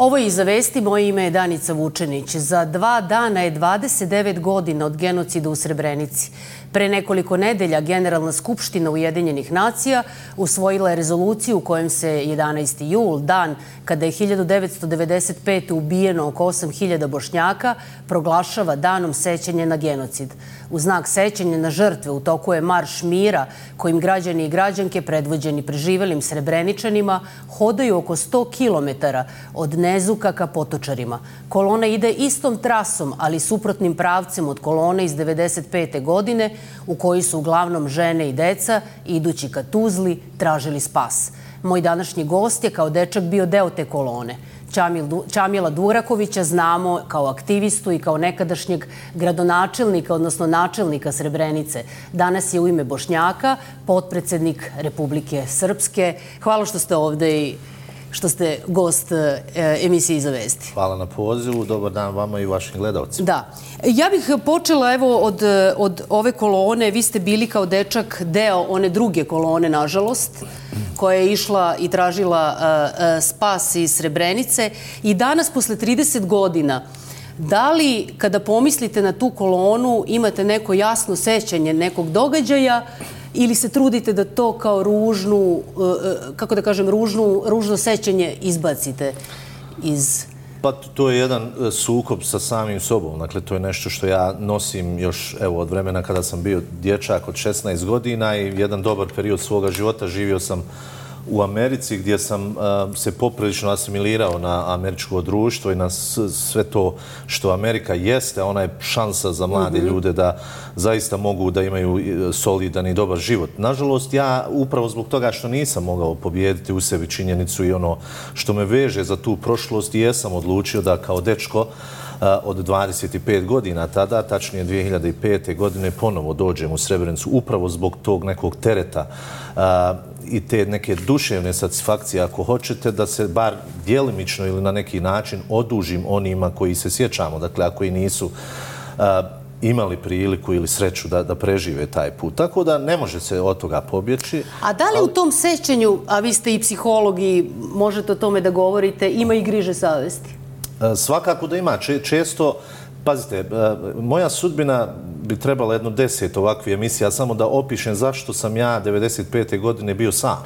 Ovo je Iza vesti, moje ime je Danica Vučenić. Za 2 dana je 29 godina od genocida u Srebrenici. Pre nekoliko nedelja Generalna skupština Ujedinjenih nacija usvojila je rezoluciju u kojem se 11. jul, dan kada je 1995. ubijeno oko 8.000 Bošnjaka, proglašava danom sećanja na genocid. U znak sećanja na žrtve u toku je marš mira kojim građani i građanke predvođeni preživelim Srebreničanima hodaju oko 100 kilometara od Nezuka ka Potočarima. Kolona ide istom trasom, ali suprotnim pravcem od kolone iz 1995. godine, u kojoj su uglavnom žene i deca, idući ka Tuzli, tražili spas. Moj današnji gost je kao dečak bio deo te kolone. Čamila Durakovića znamo kao aktivistu i kao nekadašnjeg gradonačelnika, odnosno načelnika Srebrenice. Danas je u ime Bošnjaka potpredsednik Republike Srpske. Hvala što ste ovde i što ste gost emisije Iza vesti. Hvala na pozivu. Dobar dan vama i vašim gledalcima. Da. Ja bih počela evo od ove kolone. Vi ste bili kao dečak deo one druge kolone, nažalost, koja je išla i tražila spas iz Srebrenice. I danas, posle 30 godina, da li, kada pomislite na tu kolonu, imate neko jasno sećanje nekog događaja ili se trudite da to kao ružnu, kako da kažem, ružno sećanje izbacite iz... Pa to je jedan sukob sa samim sobom. Dakle, to je nešto što ja nosim još od vremena kada sam bio dječak od 16 godina i jedan dobar period svoga života živio sam u Americi gdje sam se poprilično asimilirao na američko društvo i na sve to što Amerika jeste. Ona je šansa za mlade ljude da zaista mogu da imaju solidan i dobar život. Nažalost, ja upravo zbog toga što nisam mogao pobijediti u sebi činjenicu i ono što me veže za tu prošlost, jesam odlučio da kao dečko od 25 godina tada, tačnije 2005. godine, ponovo dođem u Srebrenicu upravo zbog tog nekog tereta i te neke duševne satisfakcije, ako hoćete, da se bar djelimično ili na neki način odužim onima koji se sjećamo, dakle, ako i nisu imali priliku ili sreću da prežive taj put. Tako da ne može se od toga pobjeći. A da li u tom sećanju, a vi ste i psiholog i možete o tome da govorite, ima i griže savesti? Svakako da ima. Često, pazite, moja sudbina bi trebala jedno 10 ovakvih emisija, samo da opišem zašto sam ja 95. godine bio sam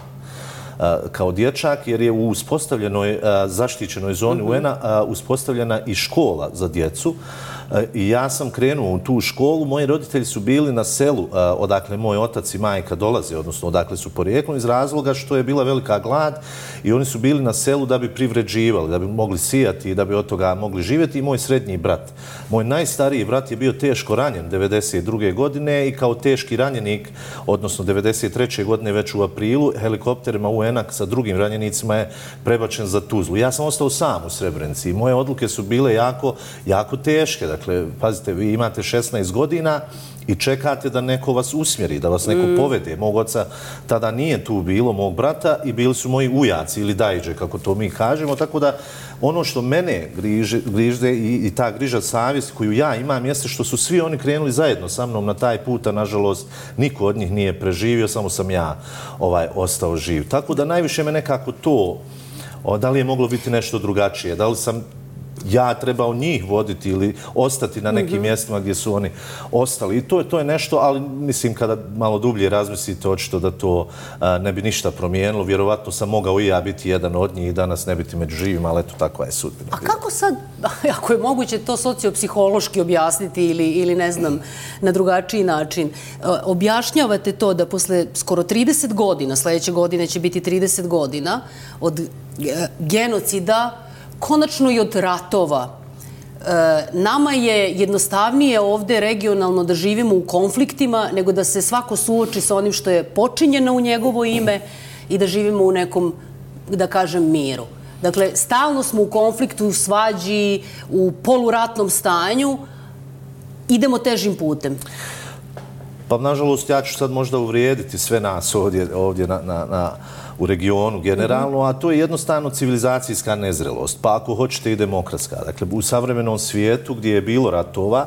kao dječak, jer je u uspostavljenoj zaštićenoj zoni UN-a uspostavljena i škola za djecu. I ja sam krenuo u tu školu. Moji roditelji su bili na selu odakle moj otac i majka dolaze, odnosno odakle su porijeklom, iz razloga što je bila velika glad i oni su bili na selu da bi privređivali, da bi mogli sijati i da bi od toga mogli živjeti. I moj srednji brat. Moj najstariji brat je bio teško ranjen 92. godine i kao teški ranjenik, odnosno 93. godine već u aprilu, helikopterima UN-a sa drugim ranjenicima je prebačen za Tuzlu. Ja sam ostao sam u Srebrenici i moje odluke su bile jako teške. Dakle, pazite, vi imate 16 godina i čekate da neko vas usmjeri, da vas neko povede. Mog oca tada nije tu bilo, mog brata, i bili su moji ujaci ili dajđe, kako to mi kažemo. Tako da ono što mene grižde i ta griža savjesti koju ja imam jeste što su svi oni krenuli zajedno sa mnom na taj put, a nažalost niko od njih nije preživio, samo sam ja ostao živ. Tako da najviše me nekako to, da li je moglo biti nešto drugačije, da li sam ja trebao njih voditi ili ostati na nekim mjestima gdje su oni ostali. I to je nešto, ali mislim kada malo dublje razmislite, očito da to ne bi ništa promijenilo. Vjerovatno sam mogao i ja biti jedan od njih i danas ne biti među živima, ali eto, takva je sudbina. A kako sad, ako je moguće to sociopsihološki objasniti ili ne znam, na drugačiji način, objašnjavate to da posle skoro 30 godina, sljedeće godine će biti 30 godina od genocida, konačno i od ratova. Nama je jednostavnije ovde regionalno da živimo u konfliktima nego da se svako suoči sa onim što je počinjeno u njegovo ime i da živimo u nekom, da kažem, miru. Dakle, stalno smo u konfliktu, u svađi, u poluratnom stanju. Idemo težim putem. Pa, nažalost, ja ću sad možda uvrijediti sve nas ovdje u regionu generalno, a to je jednostavno civilizacijska nezrelost, pa ako hoćete i demokratska. Dakle, u savremenom svijetu gdje je bilo ratova,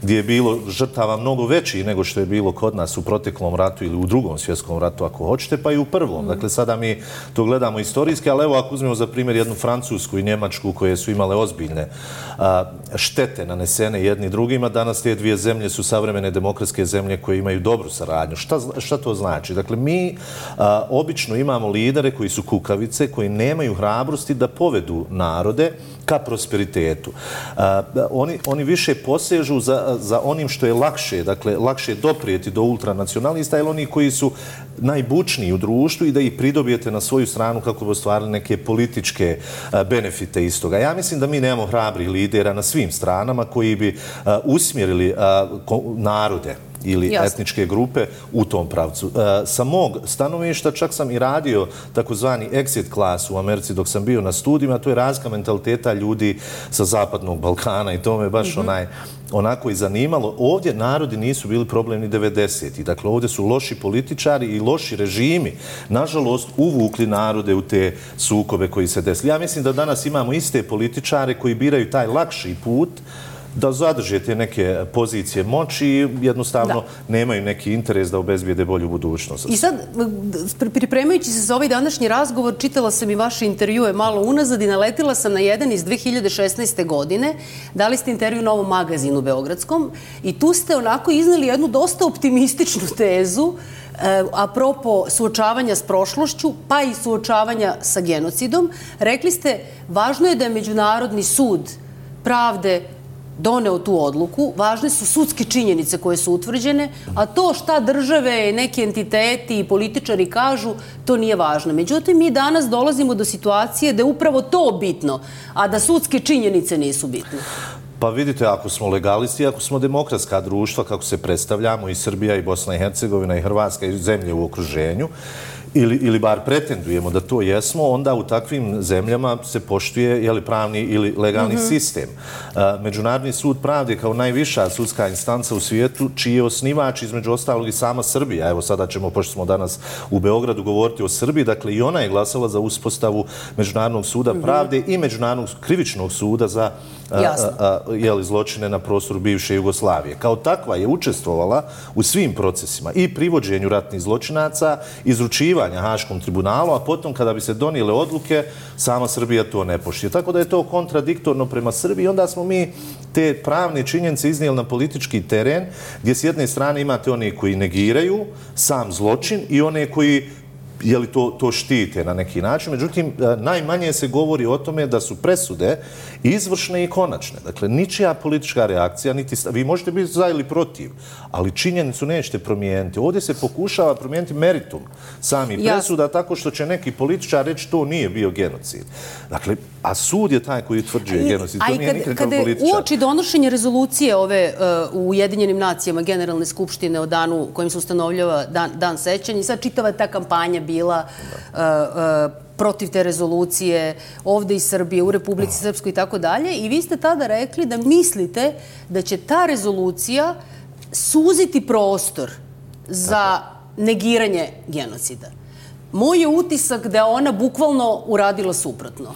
gdje je bilo žrtava mnogo veći nego što je bilo kod nas u proteklom ratu ili u drugom svjetskom ratu, ako hoćete, pa i u prvom. Dakle, sada mi to gledamo istorijski, ali evo ako uzmemo za primjer jednu Francusku i Njemačku koje su imale ozbiljne štete nanesene jedni drugima, danas te dvije zemlje su savremene demokratske zemlje koje imaju dobru saradnju. Šta to znači? Dakle, mi obično imamo lidere koji su kukavice, koji nemaju hrabrosti da povedu narode ka prosperitetu. Oni više posežu za onim što je lakše, dakle, lakše doprijeti do ultranacionalista, ili oni koji su najbučniji u društvu i da ih pridobijete na svoju stranu kako bi ostvarili neke političke benefite iz toga. Ja mislim da mi nemamo hrabrih lidera na svim stranama koji bi usmjerili narode ili etničke grupe u tom pravcu. Sa mog stanovišta čak sam i radio takozvani exit class u Americi dok sam bio na studijima, to je razlika mentaliteta ljudi sa Zapadnog Balkana i to me baš onako i zanimalo. Ovdje narodi nisu bili problem ni 90-ih. Dakle, ovdje su loši političari i loši režimi, nažalost, uvukli narode u te sukobe koji se desili. Ja mislim da danas imamo iste političare koji biraju taj lakši put da zadrže te neke pozicije moći i jednostavno nemaju neki interes da obezbijede bolju budućnost. I sad, pripremajući se za ovaj današnji razgovor, čitala sam i vaše intervjue malo unazad i naletila sam na jedan iz 2016. godine. Dali ste intervju Novom magazinu beogradskom i tu ste onako izneli jednu dosta optimističnu tezu apropo suočavanja s prošlošću, pa i suočavanja sa genocidom. Rekli ste, važno je da je Međunarodni sud pravde doneo tu odluku, važne su sudske činjenice koje su utvrđene, a to šta države, neki entiteti i političari kažu, to nije važno. Međutim, mi danas dolazimo do situacije da je upravo to bitno, a da sudske činjenice nisu bitne. Pa vidite, ako smo legalisti, ako smo demokratska društva, kako se predstavljamo, i Srbija, i Bosna i Hercegovina, i Hrvatska, i zemlje u okruženju, ili bar pretendujemo da to jesmo, onda u takvim zemljama se poštuje pravni ili legalni sistem. Međunarodni sud pravde kao najviša sudska instanca u svijetu, čiji je osnivač između ostalog i sama Srbija. Evo sada ćemo, pošto smo danas u Beogradu, govoriti o Srbiji. Dakle, i ona je glasala za uspostavu Međunarodnog suda pravde i Međunarodnog krivičnog suda za zločine na prostoru bivše Jugoslavije. Kao takva je učestvovala u svim procesima i privođenju ratnih zločinaca, izručivanja Haškom tribunalu, a potom kada bi se donijele odluke, sama Srbija to ne poštuje. Tako da je to kontradiktorno prema Srbiji. Onda smo mi te pravne činjenice iznijeli na politički teren, gdje s jedne strane imate one koji negiraju sam zločin i one koji to štite na neki način. Međutim, najmanje se govori o tome da su presude izvršne i konačne. Dakle, ničija politička reakcija, vi možete biti za ili protiv, ali činjenicu nećete promijeniti. Ovdje se pokušava promijeniti meritum samih presuda tako što će neki političar reći to nije bio genocid. Dakle, a sud je taj koji utvrđuje genocid. To nije nikakav političar. Kada uoči donošenje rezolucije ove u Ujedinjenim nacijama Generalne skupštine o danu kojim se ustanovljava dan sećanja i sad čitava ta kampanja bila protiv te rezolucije ovdje iz Srbije, u Republici Srpskoj i tako dalje. I vi ste tada rekli da mislite da će ta rezolucija suziti prostor za negiranje genocida. Moj je utisak da je ona bukvalno uradila suprotno.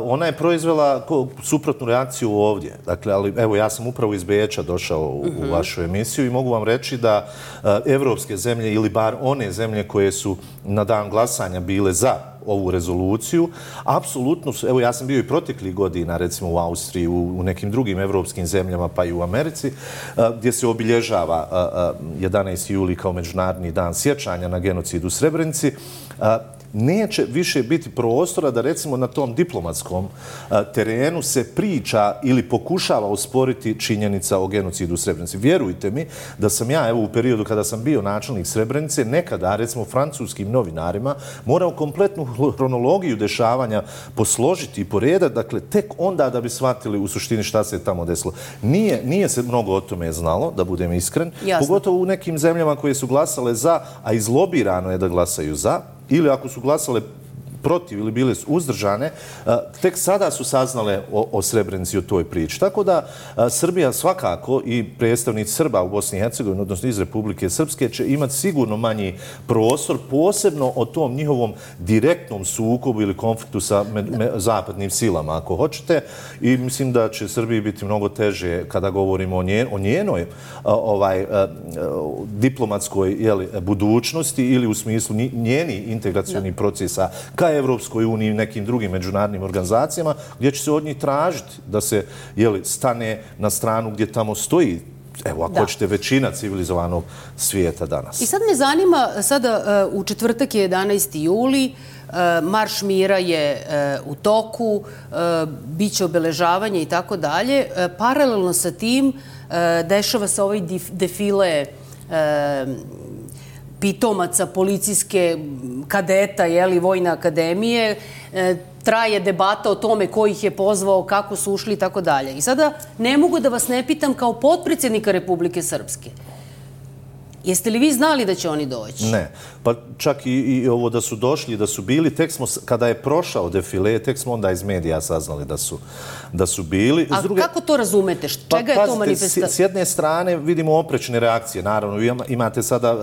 Ona je proizvela suprotnu reakciju ovdje. Dakle, ali evo, ja sam upravo iz Beča došao u vašu emisiju i mogu vam reći da evropske zemlje ili bar one zemlje koje su na dan glasanja bile za ovu rezoluciju, apsolutno su, evo ja sam bio i proteklih godina, recimo u Austriji, u nekim drugim evropskim zemljama, pa i u Americi, gdje se obilježava 11. juli kao Međunarodni dan sjećanja na genocid u Srebrenici, neće više biti prostora da recimo na tom diplomatskom terenu se priča ili pokušava osporiti činjenica o genocidu u Srebrenici. Vjerujte mi da sam ja, evo u periodu kada sam bio načelnik Srebrenice, nekada recimo francuskim novinarima morao kompletnu hronologiju dešavanja posložiti i poredati, dakle tek onda da bi shvatili u suštini šta se tamo desilo. Nije se mnogo o tome znalo, da budem iskren, pogotovo u nekim zemljama koje su glasale za, a izlobirano je da glasaju za, ili ako su glasale protiv ili bile uzdržane, tek sada su saznale o Srebrenici, o toj priči. Tako da Srbija svakako i predstavnici Srba u Bosni i Hercegovini, odnosno iz Republike Srpske, će imati sigurno manji prostor, posebno o tom njihovom direktnom sukobu ili konfliktu sa zapadnim silama, ako hoćete. I mislim da će Srbiji biti mnogo teže kada govorimo o njenoj diplomatskoj budućnosti ili u smislu njenih integracionih procesa ka Evropskoj uniji i nekim drugim međunarodnim organizacijama, gdje će se od njih tražiti da se stane na stranu gdje tamo stoji, evo, ako hoćete, većina civilizovanog svijeta danas. I sad me zanima, sada u četvrtak je 11. juli, Marš mira je u toku, bit će obeležavanje i tako dalje. Paralelno sa tim dešava se ovaj defile pitomaca policijske kadeta, Vojne akademije. Traje debata o tome ko ih je pozvao, kako su ušli i tako dalje. I sada ne mogu da vas ne pitam kao potpredsjednika Republike Srpske. Jeste li vi znali da će oni doći? Ne. Pa čak i ovo da su došli, da su bili, tek smo, kada je prošao defile, tek smo onda iz medija saznali da su bili. A kako to razumete? Čega je to manifestacija? S jedne strane vidimo oprečne reakcije. Naravno, imate sada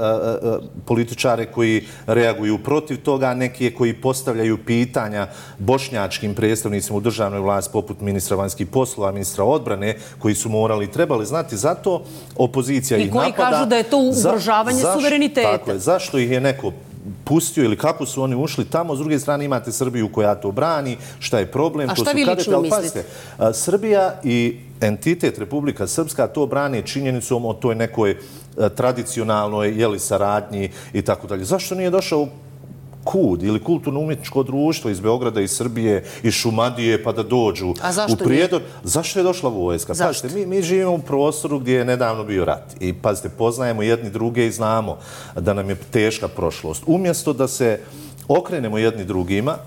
političare koji reaguju protiv toga, neki koji postavljaju pitanja bošnjačkim predstavnicima u državnoj vlasti, poput ministra vanjskih poslova, ministra odbrane, koji su morali i trebali znati. Zato opozicija ih napada. I koji kažu da je to ugrožavanje suvereniteta. Tako je. Zašto ih je neko pustio ili kako su oni ušli tamo? S druge strane imate Srbiju koja to brani. Šta je problem? A šta vi lično mislite? Srbija i entitet Republika Srpska to brane činjenicom o toj nekoj tradicionalnoj saradnji i tako dalje. Zašto nije došao KUD ili kulturno-umjetničko društvo iz Beograda i Srbije i Šumadije pa da dođu u Prijedor? Zašto je došla vojska? Pazite, mi živimo u prostoru gdje je nedavno bio rat i pazite, poznajemo jedni druge i znamo da nam je teška prošlost. Umjesto da se okrenemo jedni drugima,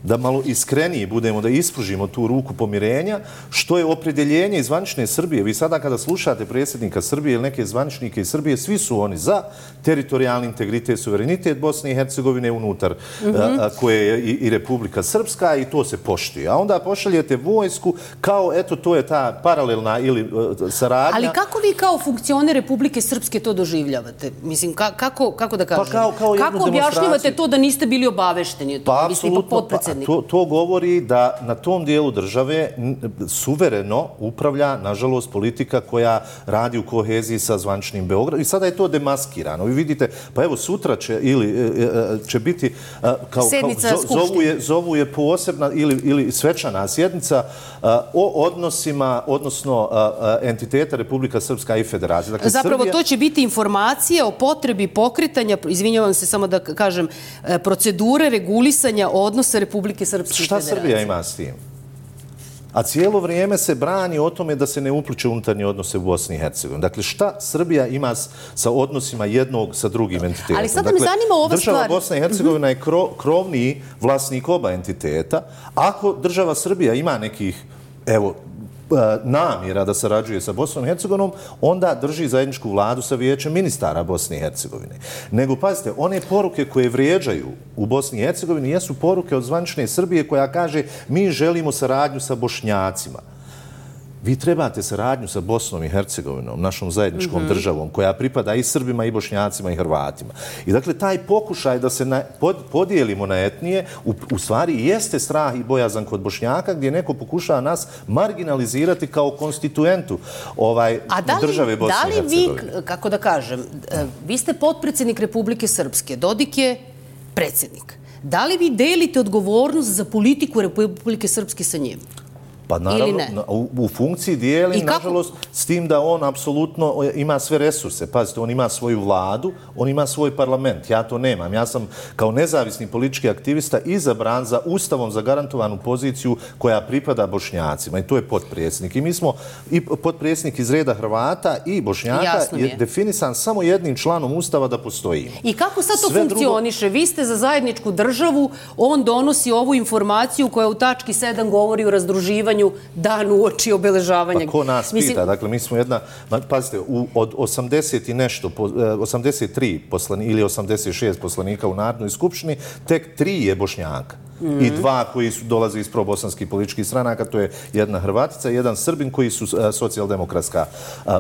da malo iskreniji budemo, da ispružimo tu ruku pomirenja, što je opredjeljenje iz zvanične Srbije. Vi sada kada slušate predsjednika Srbije ili neke zvaničnike iz Srbije, svi su oni za teritorijalni integritet, suverenitet Bosne i Hercegovine unutar koje je i Republika Srpska i to se poštuje. A onda pošaljete vojsku kao, eto, to je ta paralelna ili saradnja. Ali kako vi kao funkcioner Republike Srpske to doživljavate? Mislim, kako da kažem? Kako objašnjavate to da niste bili obavešteni? Pa, apsolutno. To govori da na tom dijelu države suvereno upravlja, nažalost, politika koja radi u koheziji sa zvaničnim Beogradom. I sada je to demaskirano. Vi vidite, pa evo sutra će biti, zovu je posebna ili svečana sjednica o odnosima, odnosno entiteta Republika Srpska i Federacija. Zapravo to će biti informacija o potrebi pokretanja, izvinjavam se samo da kažem, procedure regulisanja odnosa Republike Srpske i Federacije. Šta Srbija ima s tim? A cijelo vrijeme se brani o tome da se ne upliče unutarnje odnose u Bosni i Hercegovini. Dakle, šta Srbija ima sa odnosima jednog sa drugim entitetom? Ali sada me zanima ova stvar. Država Bosna i Hercegovina je krovni vlasnik oba entiteta. Ako država Srbija ima nekih, evo, namjera da sarađuje sa Bosnom i Hercegovinom, onda drži zajedničku vladu sa vijećem ministara Bosne i Hercegovine. Nego, pazite, one poruke koje vrijeđaju u Bosni i Hercegovini jesu poruke od zvanične Srbije koja kaže mi želimo saradnju sa Bošnjacima. Vi trebate saradnju sa Bosnom i Hercegovinom, našom zajedničkom državom, koja pripada i Srbima, i Bošnjacima, i Hrvatima. I dakle, taj pokušaj da se podijelimo na etnije, u stvari jeste strah i bojazan kod Bošnjaka, gdje neko pokušava nas marginalizirati kao konstituentu države Bosne i Hercegovine. Da li vi, kako da kažem, vi ste potpredsjednik Republike Srpske, Dodik je predsjednik. Da li vi delite odgovornost za politiku Republike Srpske sa njim? Pa naravno, u funkciji dijelim, nažalost, s tim da on apsolutno ima sve resurse. Pazite, on ima svoju vladu, on ima svoj parlament. Ja to nemam. Ja sam kao nezavisni politički aktivista izabran za ustavom zagarantovanu poziciju koja pripada Bošnjacima. I to je potpredsjednik. I mi smo i potpredsjednik iz reda Hrvata i Bošnjaka je definisan samo jednim članom ustava da postoji. I kako sad to funkcioniše? Vi ste za zajedničku državu, on donosi ovu informaciju koja u tački 7 govori o razdruživanju dan uoči obeležavanja. Pa ko nas pita? Dakle, mi smo jedna, pazite, od 80 i nešto, 83 ili 86 poslanika u Narodnoj skupštini, tek 3 je Bošnjaka. i dva koji dolaze iz probosanskih političkih stranaka, to je jedna Hrvatica i jedan Srbin koji su socijaldemokratska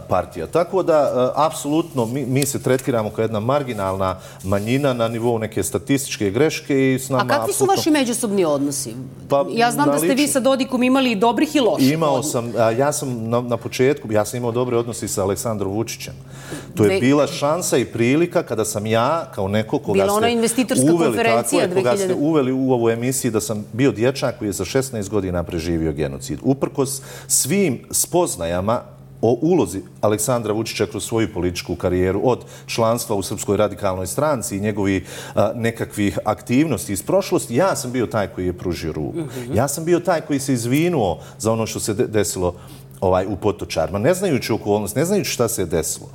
partija. Tako da, apsolutno, mi se tretiramo kao jedna marginalna manjina na nivou neke statističke greške i s nama... A kakvi su vaši međusobni odnosi? Ja znam da ste vi sa Dodikom imali dobrih i loših. Imao sam, ja sam na početku, ja sam imao dobre odnosi sa Aleksandrom Vučićem. To je bila šansa i prilika kada sam ja, kao neko koga bila ona investitorska konferencija 2000. Koga ste uveli u ovu emisiju da sam bio dječak koji je za 16 godina preživio genocid. Uprkos svim spoznajama o ulozi Aleksandra Vučića kroz svoju političku karijeru, od članstva u Srpskoj radikalnoj stranci i njegovih nekakvih aktivnosti iz prošlosti, ja sam bio taj koji je pružio ruku. Ja sam bio taj koji se izvinuo za ono što se desilo u Potočarima, ne znajući okolnost, ne znajući šta se je desilo.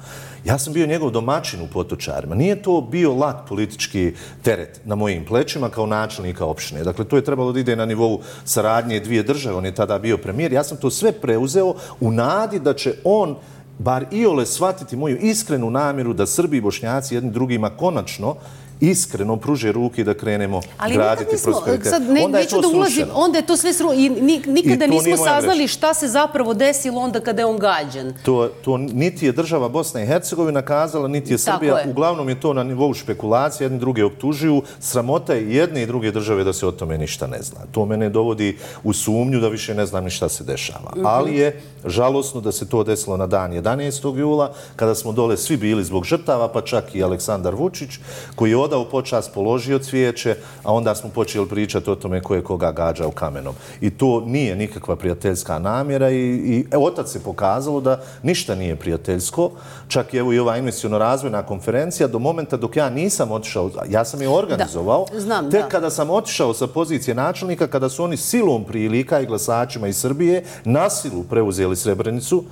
Ja sam bio njegov domaćin u Potočarima. Nije to bio lak politički teret na mojim plećima kao načelnika opštine. Dakle, to je trebalo da ide na nivou saradnje dvije države. On je tada bio premijer. Ja sam to sve preuzeo u nadi da će on bar iole shvatiti moju iskrenu namjeru da Srbi i Bošnjaci jedni drugima konačno iskreno pruže ruke i da krenemo graditi prosperitet. Onda je to srušeno. Onda je to sve srušeno. I nikada nismo saznali šta se zapravo desilo onda kada je on gađan. To niti je država Bosna i Hercegovina kazala, niti je Srbija. Uglavnom je to na nivou špekulacije, jedni druge optužuju. Sramota je jedne i druge države da se o tome ništa ne zna. To mene dovodi u sumnju da više ne znam ni šta se dešava. Ali je žalosno da se to desilo na dan 11. jula, kada smo dole svi bili zbog žrtava, pa čak i Aleksandar Vučić, koji je odao počast, položio cvijeće, a onda smo počeli pričati o tome ko je koga gađao kamenom. I to nije nikakva prijateljska namjera i otac se pokazalo da ništa nije prijateljsko. Čak i ova investiciono-razvojna konferencija, do momenta dok ja nisam otišao, ja sam je organizovao, tek kada sam otišao sa pozicije načelnika, kada su oni silom prilika i glasačima iz Srbije na silu preuzeli Srebrenicu,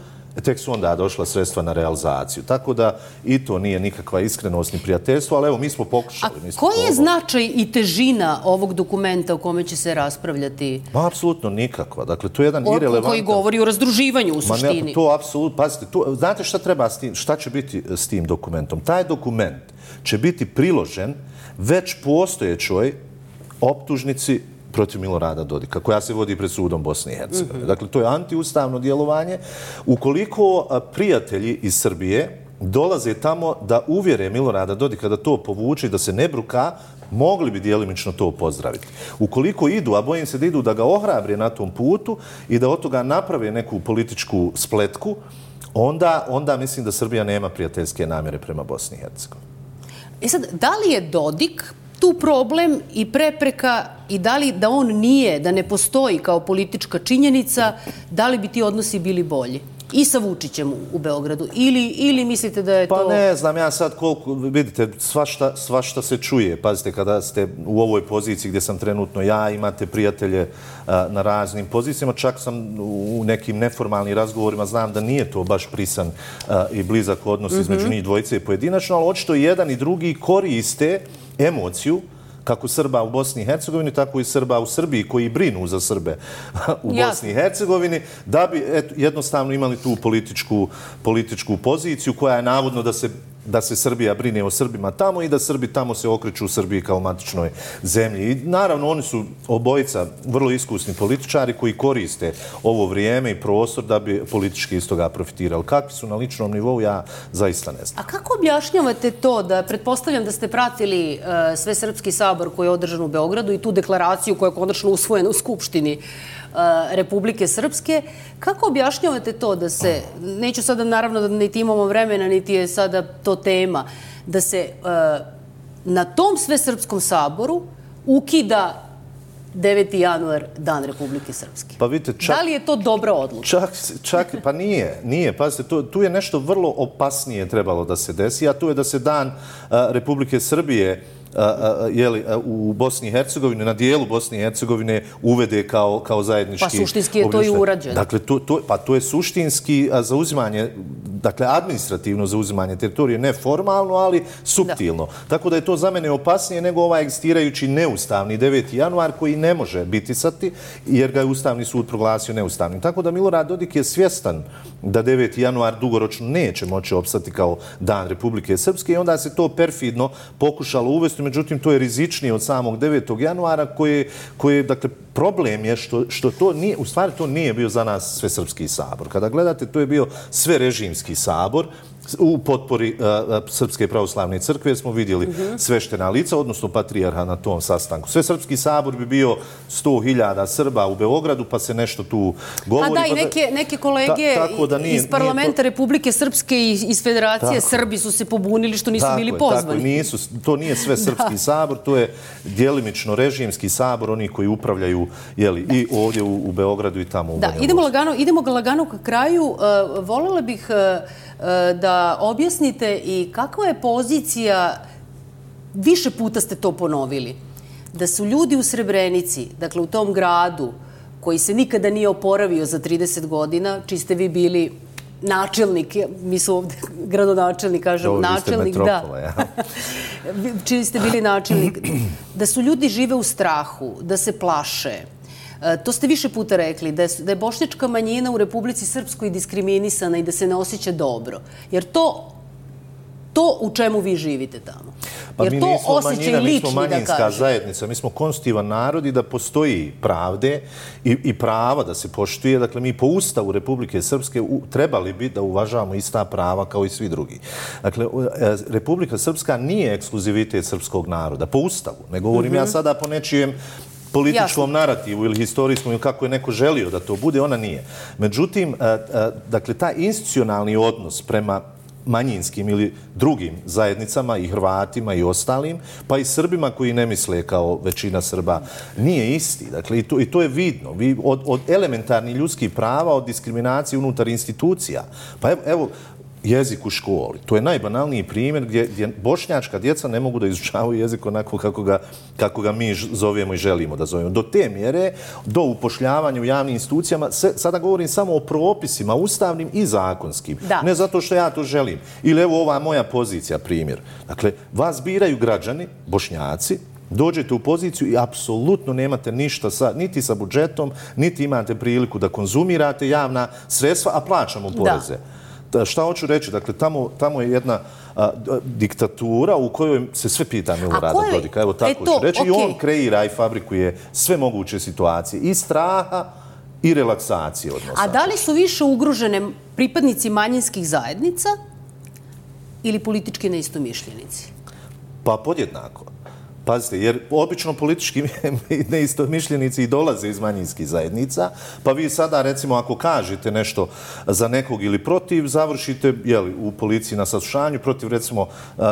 tek su onda došla sredstva na realizaciju. Tako da i to nije nikakva iskrenost ni prijateljstvo, ali evo, mi smo pokušali. A koji je značaj i težina ovog dokumenta o kome će se raspravljati? Apsolutno nikakva. Dakle, to je jedan irelevantan... Koji govori o razdruživanju u suštini. To apsolutno, pazite, znate šta treba s tim, šta će biti s tim dokumentom? Taj dokument će biti priložen već postojećoj optužnici protiv Milorada Dodika, koja se vodi pred sudom Bosne i Hercegovine. Dakle, to je antiustavno djelovanje. Ukoliko prijatelji iz Srbije dolaze tamo da uvjere Milorada Dodika da to povuče i da se ne bruka, mogli bi djelimično to pozdraviti. Ukoliko idu, a bojim se da idu da ga ohrabre na tom putu i da od toga naprave neku političku spletku, onda mislim da Srbija nema prijateljske namjere prema Bosni i Hercegovini. Sad, da li je Dodik tu problem i prepreka i da li da on nije, da ne postoji kao politička činjenica, da li bi ti odnosi bili bolji? I sa Vučićem u Beogradu? Ili mislite da je to... Pa ne znam, ja sad koliko, vidite, svašta se čuje. Pazite, kada ste u ovoj poziciji gdje sam trenutno ja, imate prijatelje na raznim pozicijama, čak sam u nekim neformalnim razgovorima, znam da nije to baš prisan i blizak odnos između njih dvojice i pojedinačno, ali očito jedan i drugi koriste emociju kako Srba u Bosni i Hercegovini, tako i Srba u Srbiji koji brinu za Srbe u Bosni i Hercegovini, da bi jednostavno imali tu političku poziciju koja je navodno da se Srbija brine o Srbima tamo i da Srbi tamo se okreću u Srbiji kao matičnoj zemlji. I naravno, oni su obojica vrlo iskusni političari koji koriste ovo vrijeme i prostor da bi politički iz toga profitirali. Kakvi su na ličnom nivou, ja zaista ne znam. A kako objašnjavate to da, pretpostavljam da ste pratili Svesrpski sabor koji je održan u Beogradu i tu deklaraciju koja je konačno usvojena u Skupštini Republike Srpske. Kako objašnjavate to da se, neću sada naravno da niti imamo vremena, niti je sada to tema, da se na tom Svesrpskom saboru ukida 9. januar, Dan Republike Srpske? Pa vidite, da li je to dobra odluka? Pa nije. Pazite, tu je nešto vrlo opasnije trebalo da se desi, a to je da se Dan Republike Srbije u Bosni i Hercegovini, na dijelu Bosne i Hercegovine uvede kao zajednički... Pa suštinski je to i urađeno. Dakle, to je suštinski zauzimanje, dakle, administrativno zauzimanje teritorije, ne formalno, ali suptilno. Tako da je to za mene opasnije nego ovaj egzistirajući neustavni 9. januar koji ne može bitisati, jer ga je Ustavni sud proglasio neustavnim. Tako da Milorad Dodik je svjestan da 9. januar dugoročno neće moći opstati kao Dan Republike Srpske i onda se to perfidno pokušalo uvesti aktivnosti, međutim to je rizičnije od samog 9. januara koji dakle, problem je što to nije, u stvari to nije bio za nas Svesrpski sabor. Kada gledate, to je bio sverežimski sabor u potpori Srpske pravoslavne crkve, smo vidjeli sveštena lica, odnosno patrijarha na tom sastanku. Svesrpski sabor bi bio 100.000 Srba u Beogradu, pa se nešto tu govori. A da, i neke kolege iz parlamenta Republike Srpske i iz Federacije Srbi su se pobunili što nisu bili pozvani. To nije sve Srpski sabor, to je djelimično režimski sabor, oni koji upravljaju i ovdje u Beogradu i tamo u Banja Luci. Idemo lagano ka kraju. Voljela bih da objasnite i kakva je pozicija, više puta ste to ponovili, da su ljudi u Srebrenici, dakle u tom gradu koji se nikada nije oporavio za 30 godina, čiji ste vi bili načelnik, mi su ovdje gradonačelnik, kažem, načelnik, da. Čiji ste bili načelnik, da su ljudi žive u strahu, da se plaše. To ste više puta rekli, da je bošnjačka manjina u Republici Srpskoj diskriminisana i da se ne osjeća dobro. Jer to u čemu vi živite tamo? Jer to osjećaj lični, da kažem. Mi smo manjinska zajednica, mi smo konstitutivan narod i da postoji pravde i prava da se poštuje. Dakle, mi po Ustavu Republike Srpske trebali bi da uvažavamo ista prava kao i svi drugi. Dakle, Republika Srpska nije ekskluzivitet srpskog naroda, po Ustavu. Ne govorim ja sada po nečijem političkom narativu ili historijskom ili kako je neko želio da to bude, ona nije. Međutim, dakle, taj institucionalni odnos prema manjinskim ili drugim zajednicama i Hrvatima i ostalim, pa i Srbima koji ne misle kao većina Srba, nije isti. Dakle, i to je vidno. Od elementarnih ljudskih prava, od diskriminacije unutar institucija. Pa evo, jezik u školi. To je najbanalniji primjer gdje bošnjačka djeca ne mogu da izučavaju jezik onako kako ga mi zovemo i želimo da zovemo. Do te mjere, do upošljavanja u javnim institucijama, sada govorim samo o propisima, ustavnim i zakonskim. Ne zato što ja to želim. Ili evo ova moja pozicija, primjer. Dakle, vas biraju građani, bošnjaci, dođete u poziciju i apsolutno nemate ništa niti sa budžetom, niti imate priliku da konzumirate javna sredstva, a plaćamo poreze. Šta hoću reći? Dakle, tamo je jedna diktatura u kojoj se sve pita Milorada Dodika. Evo tako ću reći. I on kreira i fabrikuje sve moguće situacije. I straha i relaksacije odnosa. A da li su više ugrožene pripadnici manjinskih zajednica ili politički neistomišljenici? Pa podjednako. Pazite, jer obično politički neistomišljenici i dolaze iz manjinskih zajednica, pa vi sada, recimo, ako kažete nešto za nekog ili protiv, završite u policiji na saslušanju protiv, recimo,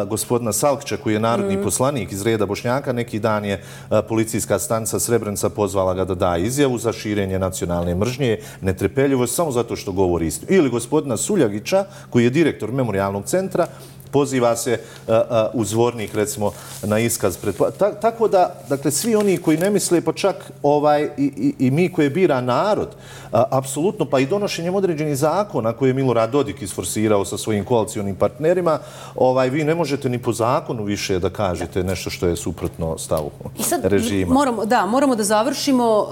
gospodina Salkića, koji je narodni poslanik iz reda Bošnjaka. Neki dan je policijska stanica Srebrenica pozvala ga da da izjavu za širenje nacionalne mržnje, netrpeljivost, samo zato što govori istinu. Ili gospodina Suljagića, koji je direktor memorijalnog centra, poziva se u Zvornik, recimo, na iskaz. Tako da, dakle, svi oni koji ne misle, pa čak i mi koje bira narod, apsolutno, pa i donošenjem određenih zakona koje je Milorad Dodik isforsirao sa svojim koalicionim partnerima, vi ne možete ni po zakonu više da kažete nešto što je suprotno stavu režima. Moramo da završimo.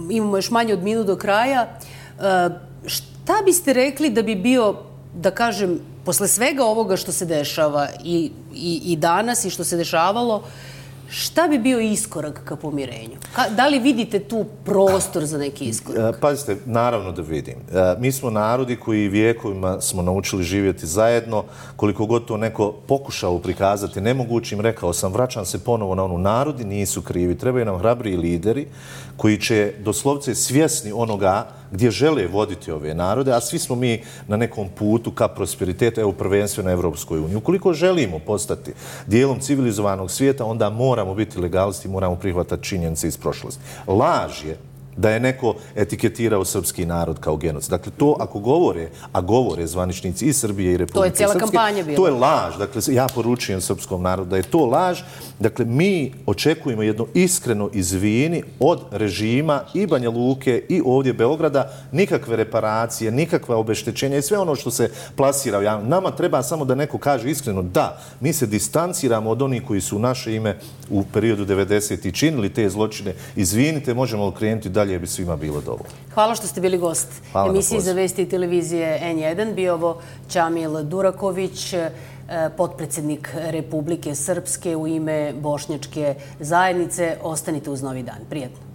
Imamo još manje od minut do kraja. Šta biste rekli da bi bio, da kažem, posle svega ovoga što se dešava i danas i što se dešavalo, šta bi bio iskorak ka pomirenju? Da li vidite tu prostor za neki iskorak? Pazite, naravno da vidim. Mi smo narodi koji vijekovima smo naučili živjeti zajedno. Koliko god to neko pokušao prikazati nemogućim, rekao sam, vraćam se ponovo na onu, narodi nisu krivi. Trebaju nam hrabriji lideri koji će doslovce svjesni onoga gdje žele voditi ove narode, a svi smo mi na nekom putu ka prosperitetu, evo prvenstveno na Evropskoj uniji. Ukoliko želimo postati dijelom civilizovanog svijeta, onda moramo biti legalisti, moramo prihvatati činjenice iz prošlosti. Laž je da je neko etiketirao srpski narod kao genocid. Dakle, to ako govore, a govore zvaničnici i Srbije i Republike Srpske, to je cijela kampanja bila. To je laž. Dakle, ja poručujem srpskom narodu da je to laž. Dakle, mi očekujemo jedno iskreno izvini od režima i Banja Luke i ovdje Beograda, nikakve reparacije, nikakva obeštećenja i sve ono što se plasira u javnosti. Nama treba samo da neko kaže iskreno da, mi se distanciramo od onih koji su u naše ime u periodu 90. činili te zločine. Izvinite, možemo okrenuti dalje, bi svima bilo dovoljno. Hvala što ste bili gost emisiji za vesti i televizije N1. Bio ovo Čamil Duraković, potpredsjednik Republike Srpske u ime Bošnjačke zajednice. Ostanite uz Novi dan. Prijetno.